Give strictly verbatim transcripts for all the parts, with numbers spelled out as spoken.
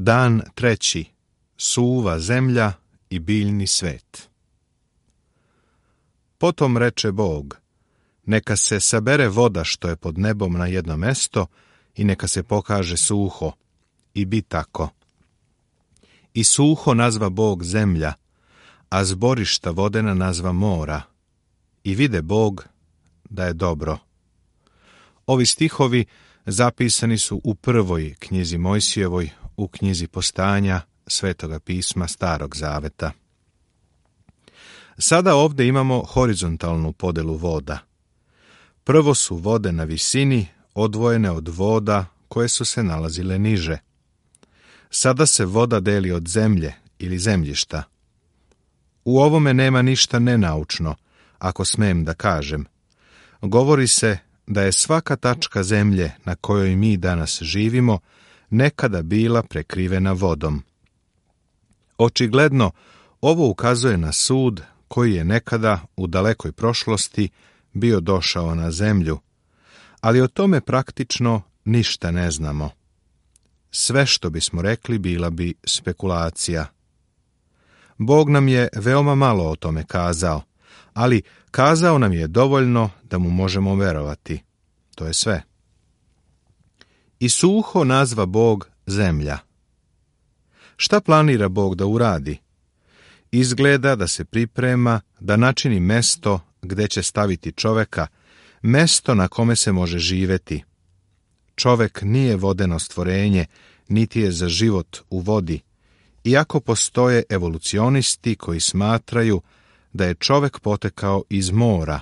Dan treći. Suva zemlja i biljni svet. Potom reče Bog, neka se sabere voda što je pod nebom na jedno mesto i neka se pokaže suho. I bi tako. I suho nazva Bog zemlja, a zborišta vodena nazva mora. I vide Bog da je dobro. Ovi stihovi zapisani su u prvoj knjizi Mojsijevoj, u knjizi Postanja Svetoga pisma Starog zaveta. Sada ovdje imamo horizontalnu podelu voda. Prvo su vode na visini, odvojene od voda koje su se nalazile niže. Sada se voda deli od zemlje ili zemljišta. U ovome nema ništa nenaučno, ako smem da kažem. Govori se da je svaka tačka zemlje na kojoj mi danas živimo nekada bila prekrivena vodom. Očigledno, ovo ukazuje na sud koji je nekada u dalekoj prošlosti bio došao na zemlju, ali o tome praktično ništa ne znamo. Sve što bismo rekli bila bi spekulacija. Bog nam je veoma malo o tome kazao, ali kazao nam je dovoljno da mu možemo verovati. To je sve. I suho nazva Bog zemlja. Šta planira Bog da uradi? Izgleda da se priprema da načini mesto gde će staviti čoveka, mesto na kome se može živeti. Čovek nije vodeno stvorenje, niti je za život u vodi, iako postoje evolucionisti koji smatraju da je čovek potekao iz mora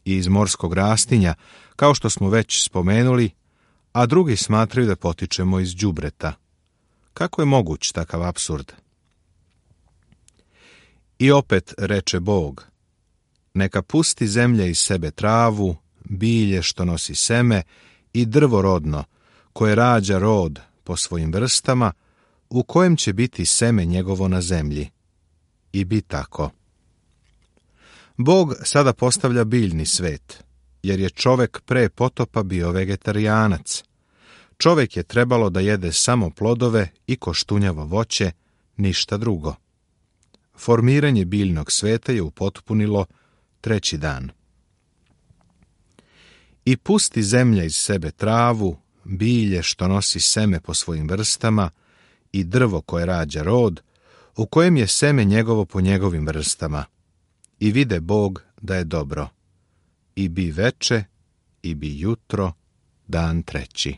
i iz morskog rastinja, kao što smo već spomenuli, a drugi smatraju da potičemo iz đubreta. Kako je moguć takav apsurd? I opet reče Bog, neka pusti zemlja iz sebe travu, bilje što nosi seme i drvo rodno, koje rađa rod po svojim vrstama, u kojem će biti seme njegovo na zemlji. I bi tako. Bog sada postavlja biljni svet, jer je čovek pre potopa bio vegetarijanac. Čovek je trebalo da jede samo plodove i koštunjavo voće, ništa drugo. Formiranje biljnog sveta je upotpunilo treći dan. I pusti zemlja iz sebe travu, bilje što nosi seme po svojim vrstama i drvo koje rađa rod, u kojem je seme njegovo po njegovim vrstama. I vide Bog da je dobro. I bi veče, i bi jutro, dan treći.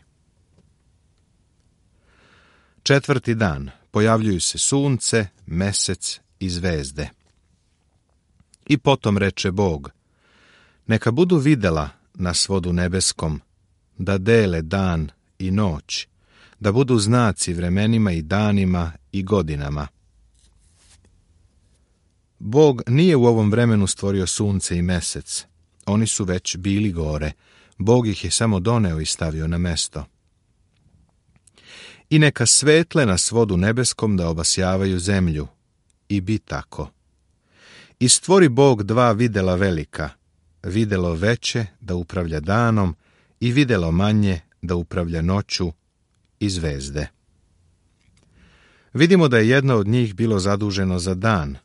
Četvrti dan. Pojavljuju se sunce, mesec i zvezde. I potom reče Bog, neka budu videla na svodu nebeskom, da dele dan i noć, da budu znaci vremenima i danima i godinama. Bog nije u ovom vremenu stvorio sunce i mesec. Oni su već bili gore. Bog ih je samo doneo i stavio na mesto. I neka svetle na svodu nebeskom da obasjavaju zemlju. I bi tako. I stvori Bog dva videla velika, videlo veće da upravlja danom i videlo manje da upravlja noću i zvezde. Vidimo da je jedno od njih bilo zaduženo za dan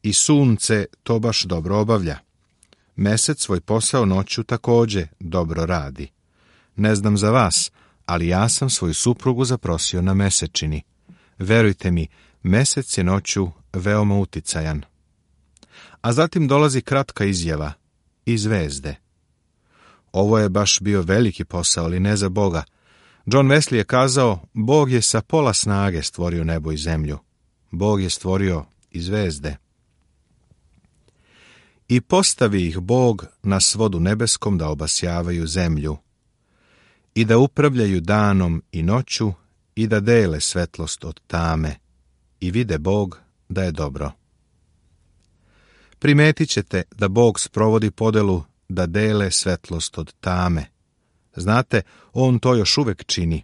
i sunce to baš dobro obavlja. Mesec svoj posao noću također dobro radi. Ne znam za vas, ali ja sam svoju suprugu zaprosio na mesečini. Verujte mi, mesec je noću veoma uticajan. A zatim dolazi kratka izjava i zvezde. Ovo je baš bio veliki posao, ali ne za Boga. John Wesley je kazao, Bog je sa pola snage stvorio nebo i zemlju. Bog je stvorio i zvezde. I postavi ih Bog na svodu nebeskom da obasjavaju zemlju i da upravljaju danom i noću i da dele svetlost od tame. I vide Bog da je dobro. Primetit ćete da Bog sprovodi podelu da dele svetlost od tame. Znate, on to još uvek čini.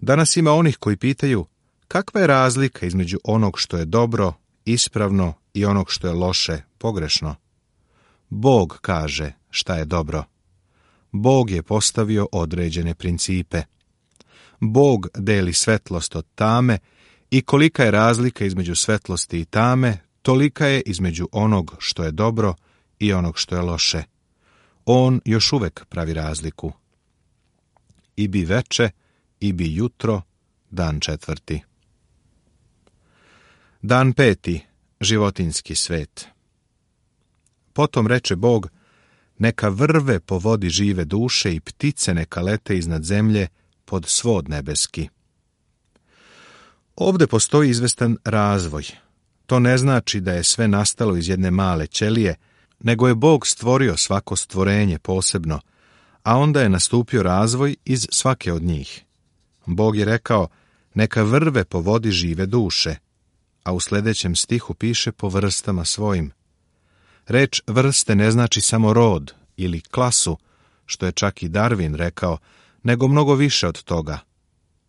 Danas ima onih koji pitaju kakva je razlika između onog što je dobro, ispravno i onog što je loše, pogrešno. Bog kaže šta je dobro. Bog je postavio određene principe. Bog deli svetlost od tame I kolika je razlika između svetlosti i tame, tolika je između onog što je dobro i onog što je loše. On još uvek pravi razliku. I bi veče, i bi jutro, dan četvrti. Dan peti, životinjski svet. Potom reče Bog, neka vrve po vodi žive duše i ptice neka lete iznad zemlje pod svod nebeski. Ovde postoji izvestan razvoj. To ne znači da je sve nastalo iz jedne male ćelije, nego je Bog stvorio svako stvorenje posebno, a onda je nastupio razvoj iz svake od njih. Bog je rekao, neka vrve po vodi žive duše, a u sljedećem stihu piše po vrstama svojim. Reč vrste ne znači samo rod ili klasu, što je čak i Darwin rekao, nego mnogo više od toga.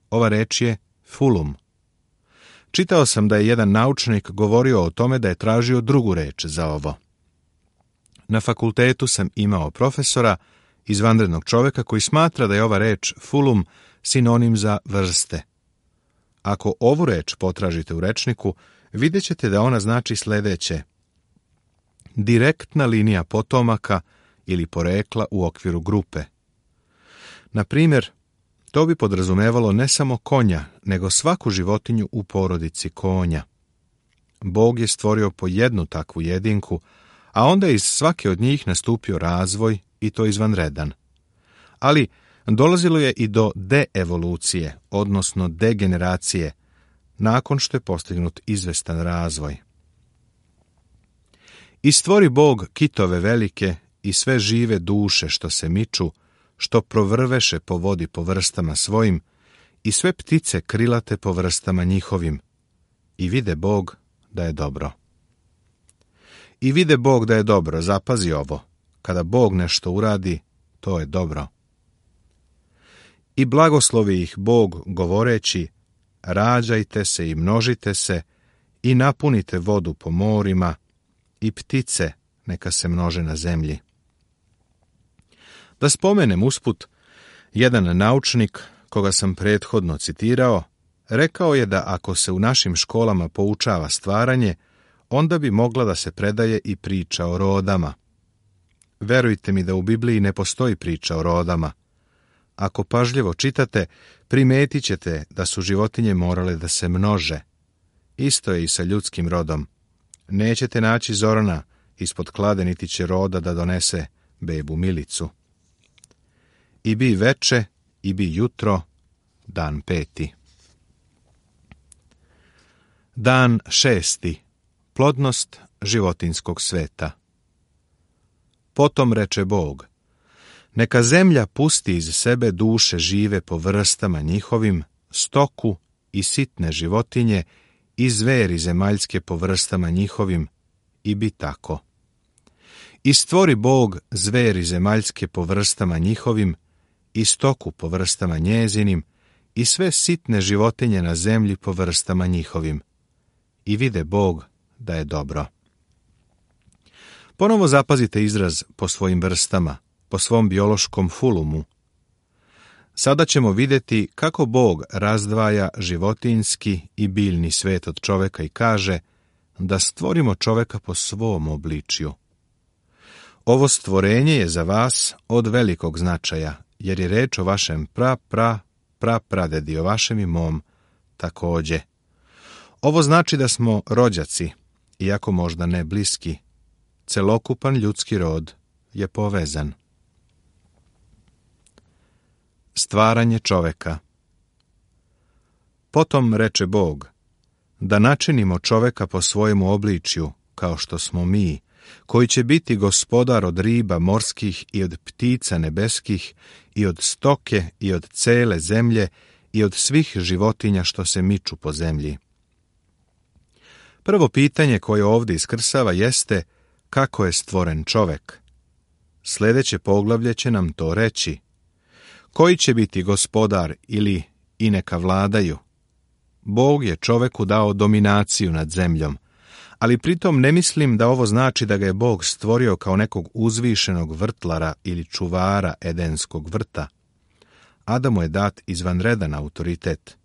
Ova reč je fulum. Čitao sam da je jedan naučnik govorio o tome da je tražio drugu reč za ovo. Na fakultetu sam imao profesora, izvanrednog čovjeka, koji smatra da je ova reč fulum sinonim za vrste. Ako ovu reč potražite u rečniku, vidjet ćete da ona znači sljedeće: direktna linija potomaka ili porekla u okviru grupe. Na primjer, to bi podrazumevalo ne samo konja, nego svaku životinju u porodici konja. Bog je stvorio po jednu takvu jedinku, a onda iz svake od njih nastupio razvoj, i to izvanredan. Ali dolazilo je i do deevolucije, odnosno degeneracije, nakon što je postignut izvestan razvoj. I stvori Bog kitove velike i sve žive duše što se miču, što provrveše po vodi po vrstama svojim, i sve ptice krilate po vrstama njihovim. I vide Bog da je dobro. I vide Bog da je dobro, zapazi ovo, kada Bog nešto uradi, to je dobro. I blagoslovi ih Bog govoreći, rađajte se i množite se i napunite vodu po morima i ptice neka se množe na zemlji. Da spomenem usput, jedan naučnik, koga sam prethodno citirao, rekao je da ako se u našim školama poučava stvaranje, onda bi mogla da se predaje i priča o rodama. Verujte mi da u Bibliji ne postoji priča o rodama. Ako pažljivo čitate, primetit ćete da su životinje morale da se množe. Isto je i sa ljudskim rodom. Nećete naći Zorana ispod klade, niti će roda da donese bebu Milicu. I bi veče, i bi jutro, dan peti. Dan šesti. Plodnost životinjskog sveta. Potom reče Bog, neka zemlja pusti iz sebe duše žive po vrstama njihovim, stoku i sitne životinje i zveri zemaljske po vrstama njihovim, i bi tako. I stvori Bog zveri zemaljske po vrstama njihovim, i stoku po vrstama njezinim, i sve sitne životinje na zemlji po vrstama njihovim. I vide Bog da je dobro. Ponovo zapazite izraz po svojim vrstama, po svom biološkom fulumu. Sada ćemo vidjeti kako Bog razdvaja životinjski i biljni svet od čoveka i kaže da stvorimo čoveka po svom obličju. Ovo stvorenje je za vas od velikog značaja, jer je reč o vašem pra, pra, pra, pradedi, o vašem i mom takođe. Ovo znači da smo rođaci, iako možda ne bliski. Celokupan ljudski rod je povezan. Stvaranje čoveka. Potom reče Bog, da načinimo čoveka po svojemu obličju, kao što smo mi, koji će biti gospodar od riba morskih i od ptica nebeskih i od stoke i od cele zemlje i od svih životinja što se miču po zemlji. Prvo pitanje koje ovdje iskrsava jeste kako je stvoren čovek. Sljedeće poglavlje će nam to reći. Koji će biti gospodar ili i neka vladaju? Bog je čoveku dao dominaciju nad zemljom, ali pritom ne mislim da ovo znači da ga je Bog stvorio kao nekog uzvišenog vrtlara ili čuvara edenskog vrta. Adamu je dat izvanredan autoritet.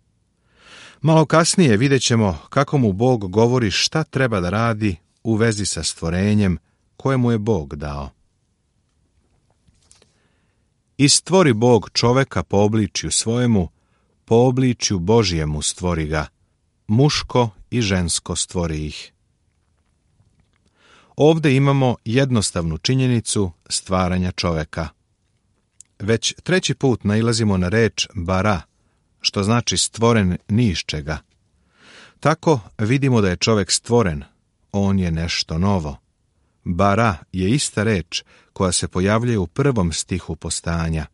Malo kasnije vidjet ćemo kako mu Bog govori šta treba da radi u vezi sa stvorenjem koje mu je Bog dao. I stvori Bog čoveka po obličju svojemu, po obličju Božjemu stvori ga, muško i žensko stvori ih. Ovde imamo jednostavnu činjenicu stvaranja čoveka. Već treći put nailazimo na reč bara, što znači stvoren ni iz čega. Tako vidimo da je čovek stvoren, on je nešto novo. Bara je ista reč koja se pojavljuje u prvom stihu postajanja.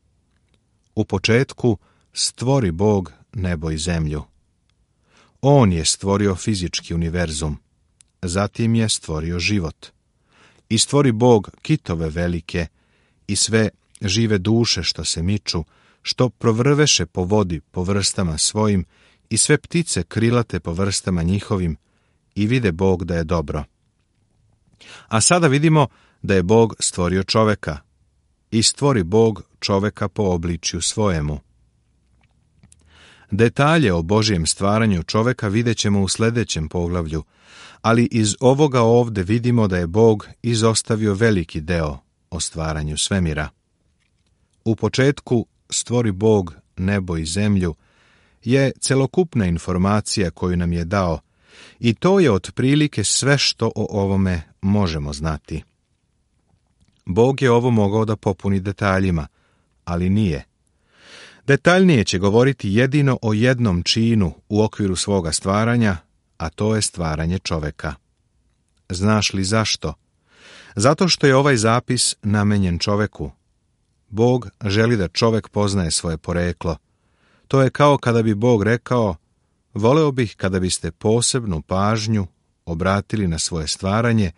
U početku stvori Bog nebo i zemlju. On je stvorio fizički univerzum, zatim je stvorio život. I stvori Bog kitove velike i sve žive duše što se miču, što provrveše po vodi po vrstama svojim i sve ptice krilate po vrstama njihovim i vide Bog da je dobro. A sada vidimo da je Bog stvorio čoveka i stvori Bog čoveka po obličju svojemu. Detalje o Božjem stvaranju čoveka vidjet ćemo u sljedećem poglavlju, ali iz ovoga ovde vidimo da je Bog izostavio veliki deo o stvaranju svemira. U početku stvori Bog nebo i zemlju je celokupna informacija koju nam je dao i to je otprilike sve što o ovome možemo znati. Bog je ovo mogao da popuni detaljima, ali nije. Detaljnije će govoriti jedino o jednom činu u okviru svoga stvaranja, a to je stvaranje čoveka. Znaš li zašto? Zato što je ovaj zapis namenjen čoveku. Bog želi da čovek poznaje svoje poreklo. To je kao kada bi Bog rekao, voleo bih kada biste posebnu pažnju obratili na svoje stvaranje,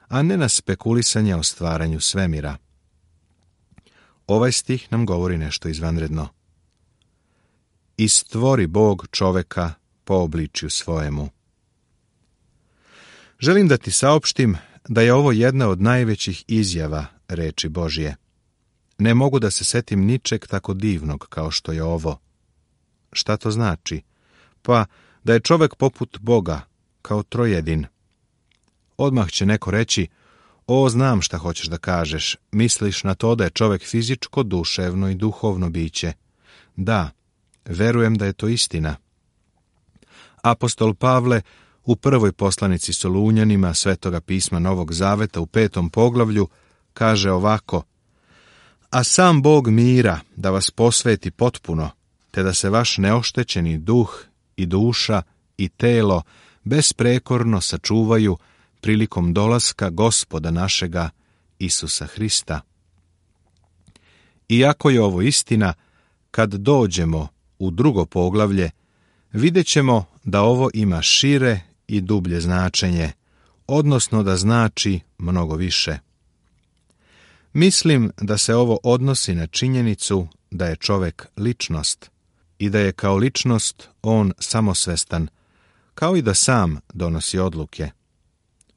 a ne na spekulisanje o stvaranju svemira. Ovaj stih nam govori nešto izvanredno. I stvori Bog čoveka po obličju svojemu. Želim da ti saopštim da je ovo jedna od najvećih izjava reči Božje. Ne mogu da se setim ničeg tako divnog kao što je ovo. Šta to znači? Pa da je čovek poput Boga, kao trojedin. Odmah će neko reći, o, znam šta hoćeš da kažeš, misliš na to da je čovek fizičko, duševno i duhovno biće. Da, verujem da je to istina. Apostol Pavle u prvoj poslanici Solunjanima Svetoga pisma Novog Zaveta u petom poglavlju kaže ovako: a sam Bog mira da vas posveti potpuno, te da se vaš neoštećeni duh i duša i telo besprekorno sačuvaju prilikom dolaska Gospoda našega Isusa Hrista. Iako je ovo istina, kad dođemo u drugo poglavlje, vidjet ćemo da ovo ima šire i dublje značenje, odnosno da znači mnogo više. Mislim da se ovo odnosi na činjenicu da je čovek ličnost i da je kao ličnost on samosvestan, kao i da sam donosi odluke.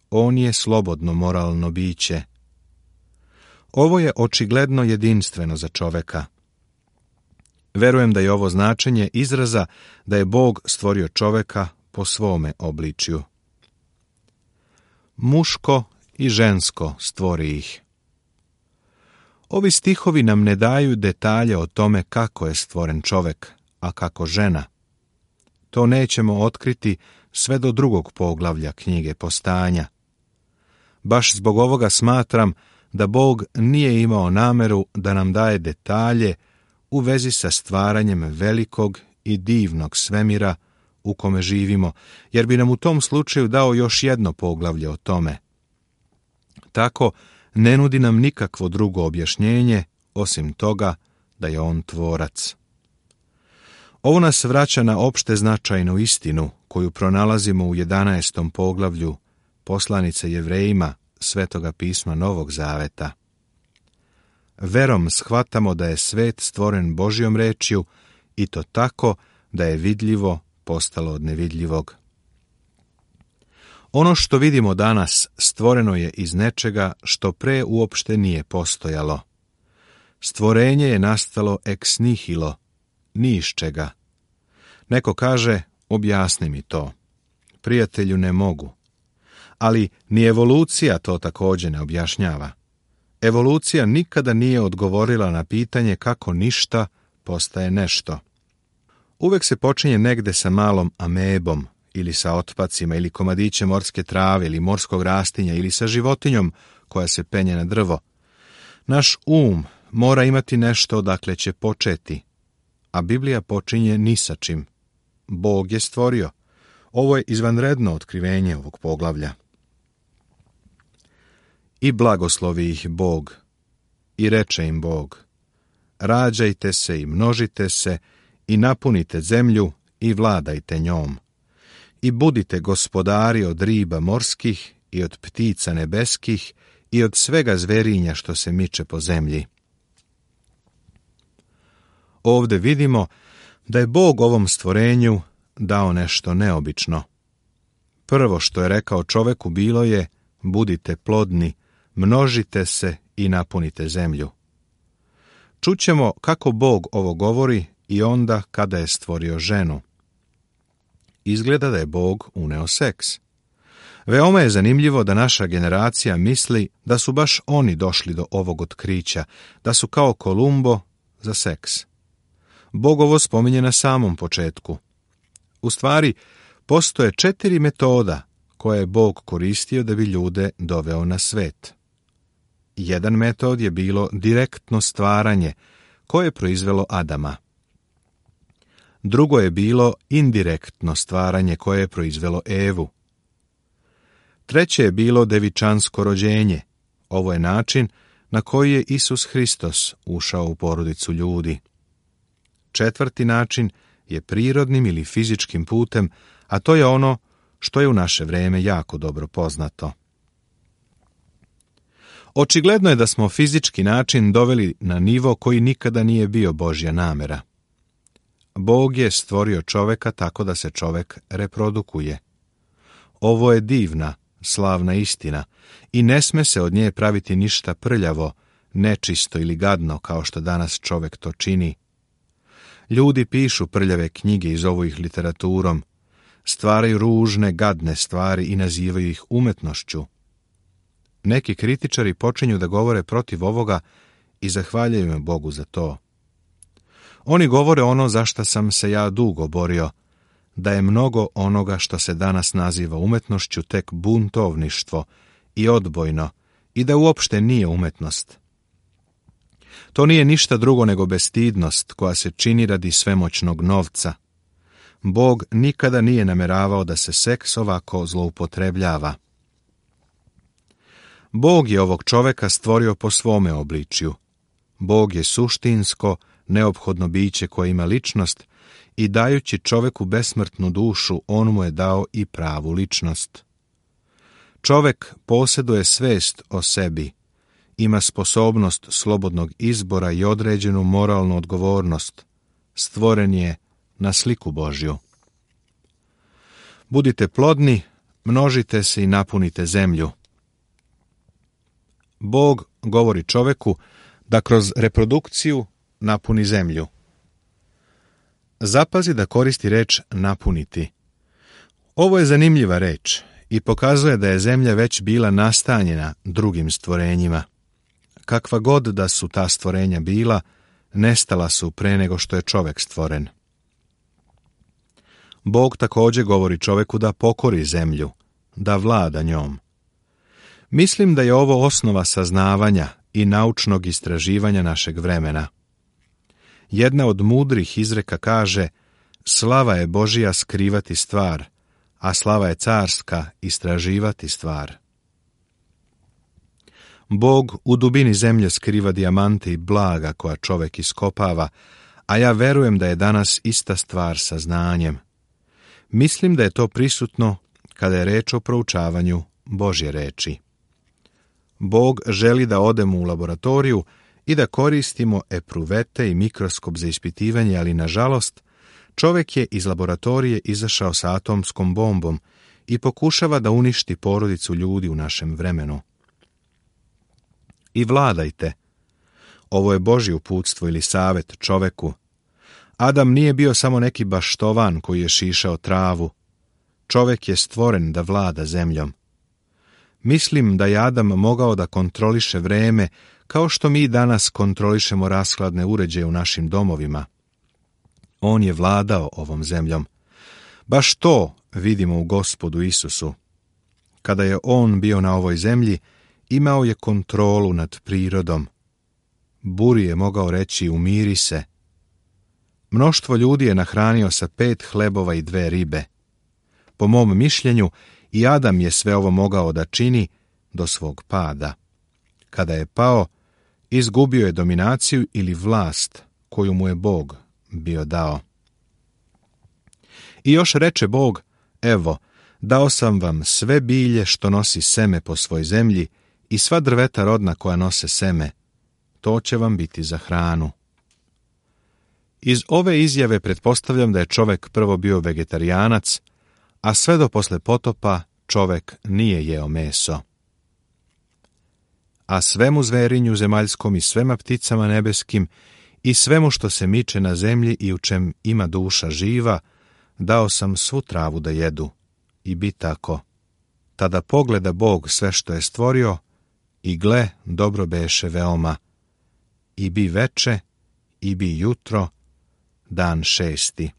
On je slobodno moralno biće. Ovo je očigledno jedinstveno za čoveka. Verujem da je ovo značenje izraza da je Bog stvorio čoveka po svome obličju. Muško i žensko stvori ih. Ovi stihovi nam ne daju detalje o tome kako je stvoren čovek, a kako žena. To nećemo otkriti sve do drugog poglavlja knjige Postajanja. Baš zbog ovoga smatram da Bog nije imao nameru da nam daje detalje u vezi sa stvaranjem velikog i divnog svemira u kome živimo, jer bi nam u tom slučaju dao još jedno poglavlje o tome. Tako ne nudi nam nikakvo drugo objašnjenje osim toga da je on tvorac. Ovo nas vraća na opšte značajnu istinu koju pronalazimo u jedanaestom poglavlju poslanice Jevrejima Svetoga pisma Novog Zaveta. Verom shvatamo da je svet stvoren Božjom rečju i to tako da je vidljivo postalo od nevidljivog. Ono što vidimo danas stvoreno je iz nečega što pre uopšte nije postojalo. Stvorenje je nastalo ex nihilo, ni iz čega. Neko kaže, Objasni mi to. Prijatelju, ne mogu. Ali ni evolucija to također ne objašnjava. Evolucija nikada nije odgovorila na pitanje kako ništa postaje nešto. Uvek se počinje negde sa malom amebom, ili sa otpacima, ili komadićem morske trave, ili morskog rastinja, ili sa životinjom koja se penje na drvo. Naš um mora imati nešto odakle će početi, a Biblija počinje ni sa čim. Bog je stvorio. Ovo je izvanredno otkrivenje ovog poglavlja. I blagoslovi ih Bog, i reče im Bog: rađajte se i množite se, i napunite zemlju, i vladajte njom. I budite gospodari od riba morskih, i od ptica nebeskih, i od svega zverinja što se miče po zemlji. Ovde vidimo da je Bog ovom stvorenju dao nešto neobično. Prvo što je rekao čoveku bilo je: budite plodni, množite se i napunite zemlju. Čućemo kako Bog ovo govori i onda kada je stvorio ženu. Izgleda da je Bog uneo seks. Veoma je zanimljivo da naša generacija misli da su baš oni došli do ovog otkrića, da su kao Kolumbo za seks. Bog ovo spominje na samom početku. U stvari, postoje četiri metoda koje je Bog koristio da bi ljude doveo na svet. Jedan metod je bilo direktno stvaranje, koje je proizvelo Adama. Drugo je bilo indirektno stvaranje, koje je proizvelo Evu. Treće je bilo devičansko rođenje. Ovo je način na koji je Isus Hristos ušao u porodicu ljudi. Četvrti način je prirodnim ili fizičkim putem, a to je ono što je u naše vreme jako dobro poznato. Očigledno je da smo fizički način doveli na nivo koji nikada nije bio Božja namera. Bog je stvorio čoveka tako da se čovek reprodukuje. Ovo je divna, slavna istina i ne sme se od nje praviti ništa prljavo, nečisto ili gadno kao što danas čovek to čini. Ljudi pišu prljave knjige i zovu ih literaturom, stvaraju ružne, gadne stvari i nazivaju ih umetnošću. Neki kritičari počinju da govore protiv ovoga i zahvaljaju me Bogu za to. Oni govore ono za šta sam se ja dugo borio, da je mnogo onoga što se danas naziva umetnošću tek buntovništvo i odbojno i da uopšte nije umetnost. To nije ništa drugo nego bestidnost koja se čini radi svemoćnog novca. Bog nikada nije nameravao da se seks ovako zloupotrebljava. Bog je ovog čoveka stvorio po svome obličju. Bog je suštinsko, neophodno biće koje ima ličnost i dajući čoveku besmrtnu dušu, on mu je dao i pravu ličnost. Čovek posjeduje svest o sebi, ima sposobnost slobodnog izbora i određenu moralnu odgovornost. Stvoren je na sliku Božju. Budite plodni, množite se i napunite zemlju. Bog govori čoveku da kroz reprodukciju napuni zemlju. Zapazi da koristi reč napuniti. Ovo je zanimljiva reč i pokazuje da je zemlja već bila nastanjena drugim stvorenjima. Kakva god da su ta stvorenja bila, nestala su pre nego što je čovek stvoren. Bog također govori čoveku da pokori zemlju, da vlada njom. Mislim da je ovo osnova saznavanja i naučnog istraživanja našeg vremena. Jedna od mudrih izreka kaže: slava je Božija skrivati stvar, a slava je carska istraživati stvar. Bog u dubini zemlje skriva dijamante i blaga koja čovek iskopava, a ja verujem da je danas ista stvar sa znanjem. Mislim da je to prisutno kada je reč o proučavanju Božje reči. Bog želi da odemo u laboratoriju i da koristimo epruvete i mikroskop za ispitivanje, ali nažalost, čovek je iz laboratorije izašao sa atomskom bombom i pokušava da uništi porodicu ljudi u našem vremenu. I vladajte. Ovo je Božje uputstvo ili savet čoveku. Adam nije bio samo neki baštovan koji je šišao travu. Čovek je stvoren da vlada zemljom. Mislim da je Adam mogao da kontroliše vreme kao što mi danas kontrolišemo rashladne uređaje u našim domovima. On je vladao ovom zemljom. Baš to vidimo u Gospodu Isusu. Kada je on bio na ovoj zemlji, imao je kontrolu nad prirodom. Buri je mogao reći umiri se. Mnoštvo ljudi je nahranio sa pet hlebova i dve ribe. Po mom mišljenju, i Adam je sve ovo mogao da čini do svog pada. Kada je pao, izgubio je dominaciju ili vlast koju mu je Bog bio dao. I još reče Bog, evo, dao sam vam sve bilje što nosi seme po svoj zemlji i sva drveta rodna koja nose seme. To će vam biti za hranu. Iz ove izjave pretpostavljam da je čovek prvo bio vegetarijanac, a sve do posle potopa čovek nije jeo meso. A svemu zverinju zemaljskom i svema pticama nebeskim i svemu što se miče na zemlji i u čem ima duša živa, dao sam svu travu da jedu. I bi tako. Tada pogleda Bog sve što je stvorio i gle, dobro beše veoma. I bi veče, i bi jutro, dan šesti.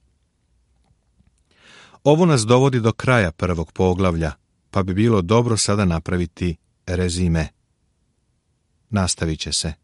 Ovo nas dovodi do kraja prvog poglavlja, pa bi bilo dobro sada napraviti rezime. Nastavit će se.